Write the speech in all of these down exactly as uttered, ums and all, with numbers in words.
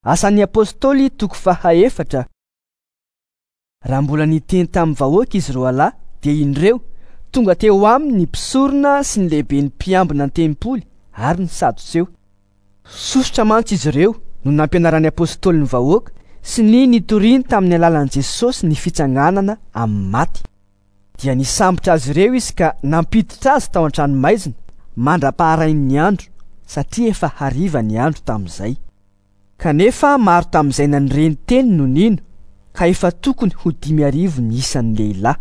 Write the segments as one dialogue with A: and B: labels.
A: Asan'ny Apôstôly toko fahaefatra. Raha mbola niteny tamin'ny vahoaka izy roalahy, dia indreo tonga teo aminy ny mpisorona sy ny lehiben'ny mpiambina ny tempoly ary ny Sadoseo. Sosotra mantsy izy ireo no nampianaran'ny apôstôly ny vahoaka sy ny nitoriany tamin'ny alalan'i Jesosy ny fitsanganana amin'ny maty. Dia nisambotra azy ireo izy ka nampiditra azy tao an-tranomaizina mandra-paharain'ny andro, satria efa hariva ny andro tamin'izay. Kanefa maro tamin'izay nandre ny teny no nino, ka efa tokony ho dimy arivo ny isan'ny lehilahy.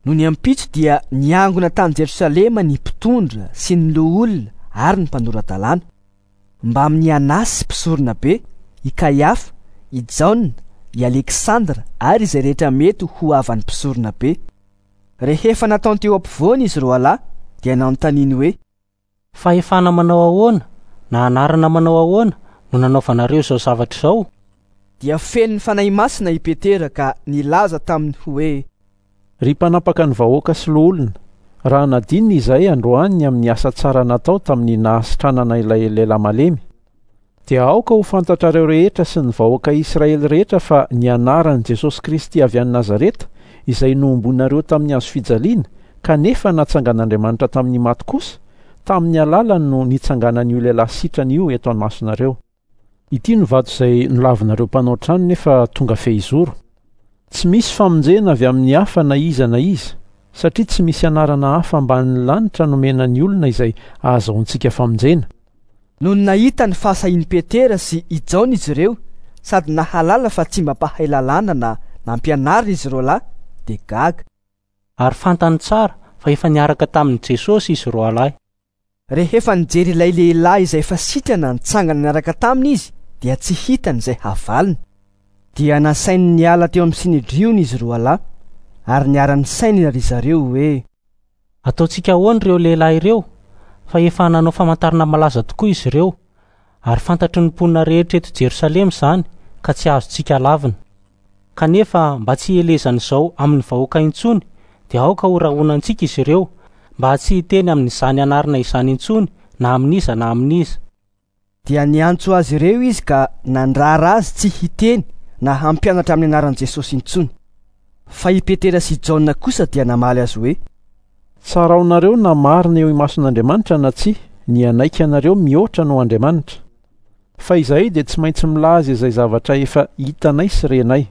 A: Nony ampitso dia niangona tany Jerosalema ny mpitondra sy ny loholona ary ny mpanora-dalàna, mbamin'i Anasy mpisorona be, i Kaiafa, i Jaona, i Aleksandra ary izay rehetra mety ho havan'ny mpisorona be. Rehefa nataony teo ampovoany izy roalahy, dia nanontaniany hoe:
B: Fahefana manao ahoana na anarana manao ahoana no nanaovanareo izao zavatra izao?
A: Dia feno ny Fanahy Masina i Petera ka nilaza taminy hoe:
C: Ry mpanapaka ny vahoaka sy loholona, raha nadinina izahay androany amin'ny asa tsara natao tamin'ny nahasitranana ilay lehilahy malemy, dia aoka ho fantatrareo rehetra sy ny vahoaka Israely rehetra fa ny anaran'i Jesosy Kristy avy any Nazareta, izay nohomboanareo tamin'ny hazo fijaliana, kanefa natsangan'Andriamanitra tamin'ny maty kosa, tamin'ny alalany no nitsanganan'io lehilahy sitrana io eto an-masonareo. Ity no vato izay nolavinareo mpanao trano nefa tonga fehizoro. Tsy misy famonjena avy amin'ny hafa na iza na iza, satria tsy misy anarana hafa ambanin'ny lanitra nomena ny olona izay ahazoantsika famonjena.
A: Nony nahita ny fahasahian'i Petera sy i Jaona izy ireo, sady nahalala fa tsy mba mpahay lalàna na nampianarina izy roalahy, dia gaga.
B: Ary fantany tsara fa efa niaraka tamin'i Jesosy izy roalahy.
A: Rehefa nijery ilay lehilahy izay efa sitrana nitsangana niaraka taminy izy, dia tsy hitany izay havaliny. Dia nasainy niala teo amin'ny sinedriona izy roalahy, ary niara-nisaina ry zareo hoe:
B: Ataontsika ahoana ireo lehilahy ireo, fa efa nanao famantarana malaza tokoa izy ireo, ary fantatry ny mponina rehetra eto Jerosalema izany, ka tsy azontsika lavina. Kanefa mba tsy hielezan'izao amin'ny vahoaka intsony, dia aoka ho rahonantsika izy ireo, mba tsy hiteny amin'izany anarana izany intsony na amin'iza na amin'iza.
A: Dia niantso azy ireo izy ka nandrara azy tsy hiteny na hampianatra amin'ny anaran'i Jesosy intsony. Fa i Petera sy Jaona kosa dia namaly azy hoe:
C: Tsaraonareo na marina eo imason'Andriamanitra na tsia, ny hanaiky anareo mihoatra noho Andriamanitra. Fa izahay dia tsy maintsy milaza izay zavatra efa hitanay sy renay.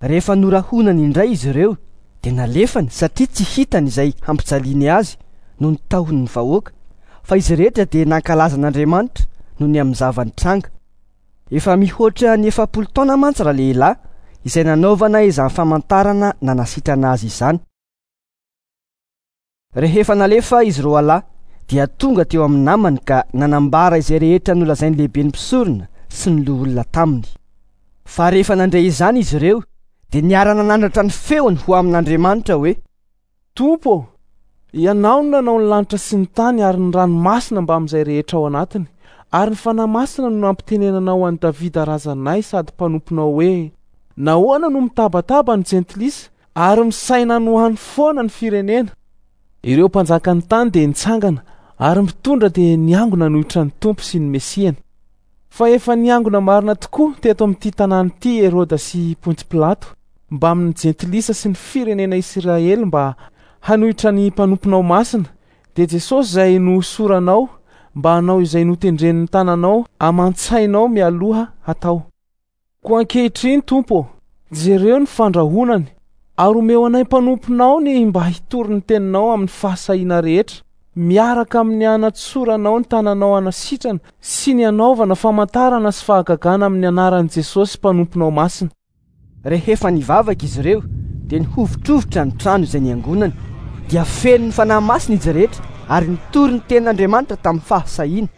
A: Rehefa norahonany indray izy ireo, dia nalefany satria tsy hitany izay hampijaliany azy noho ny tahon'ny vahoaka, fa izy rehetra dia nankalaza an'Andriamanitra noho ny amin'ny zava-nitranga. Efa mihoatra ny efapolo taona mantsy ralehilahy izay nanaovana izany famantarana nanasitrana azy izany. Rehefa nalefa izy roalahy, dia tonga teo amin'ny namany ka nanambara izay rehetra nolazain'ny lehiben'ny mpisorona sy ny loholona taminy. Fa rehefa nandre izany izy ireo, dia niara-nanandratra ny feony ho amin'Andriamanitra hoe:
D: Tompo, ianao no nanao ny lanitra sy ny tany ary ny ranomasina mbamin'izay rehetra ao anatiny, ary ny Fanahy Masina no nampitenenanao an'i Davida razanay sady mpanomponao hoe: Nahoana no mitabataba ny jentilisa ary misaina no hany foana ny firenena? Ireo mpanjakan'ny tany dia nitsangana ary mitondra dia niangona nanohitra ny Tompo sy ny Mesiany. Fa efa niangona marina tokoa teto amin'ity tanàna ity Heroda sy Pontsy Pilato mbamin'ny jentilisa sy ny firenena Israely mba hanohitra ny mpanomponao masina, dia Jesosy izay nohosoranao mba hanao izay notendren'ny tananao aman-tsainao mialoha hatao. Koa ankehitriny, Tompo, jereo ny fandrahonany ary omeo anay mpanomponao ny mba hitory ny teninao amin'ny fahasahiana rehetra, miaraka amin'ny anatsoranao ny tananao hanasitrana sy ny hanaovana famantarana sy fahagagana amin'ny anaran'i Jesosy mpanomponao masina.
A: Rehefa nivavaka izy ireo, dia nihovitrovitra ny trano izay niangonany, dia feno ny Fanahy Masina izy rehetra ary nitory ny tenin'Andriamanitra tamin'ny fahasahiana.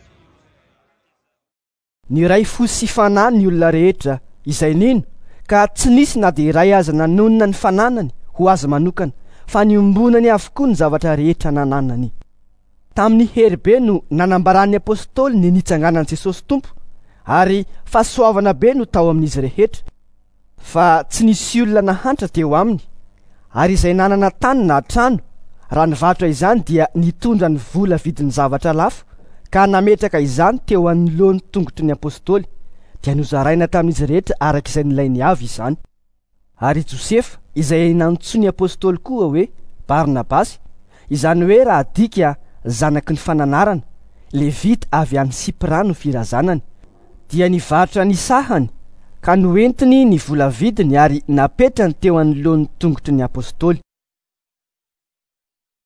A: Niray fo sy fanahy ny olona rehetra izay nino, ka tsy nisy na dia iray aza nanonona ny fananany ho azy manokana, fa niombonany avokoa ny zavatra rehetra nananany. Tamin'ny hery be no nanambaran'ny apôstôly ny nitsanganan'i Jesosy Tompo, ary fahasoavana be no tao amin'izy rehetra, fa tsy nisy olona nahantra teo aminy, ary izay nanana tany na trano, raha nivarotra izany dia nitondra ny vola vidin'ny zavatra lafo, ka nametraka izany teo anoloan'ny tongotry ny apôstôly, Dia nozaraina tamin'izy rehetra araka izay nilainy avy izany. Ary Josefa, izay nantsoin'ny apôstôly koa hoe Barnabasy, izany hoe raha adika zanaky ny fananarana, levita avy any Sipra no firazanany, dia nivarotra ny sahany ka noentiny ny vola vidiny ary napetrany teo anoloan'ny tongotry ny apôstôly.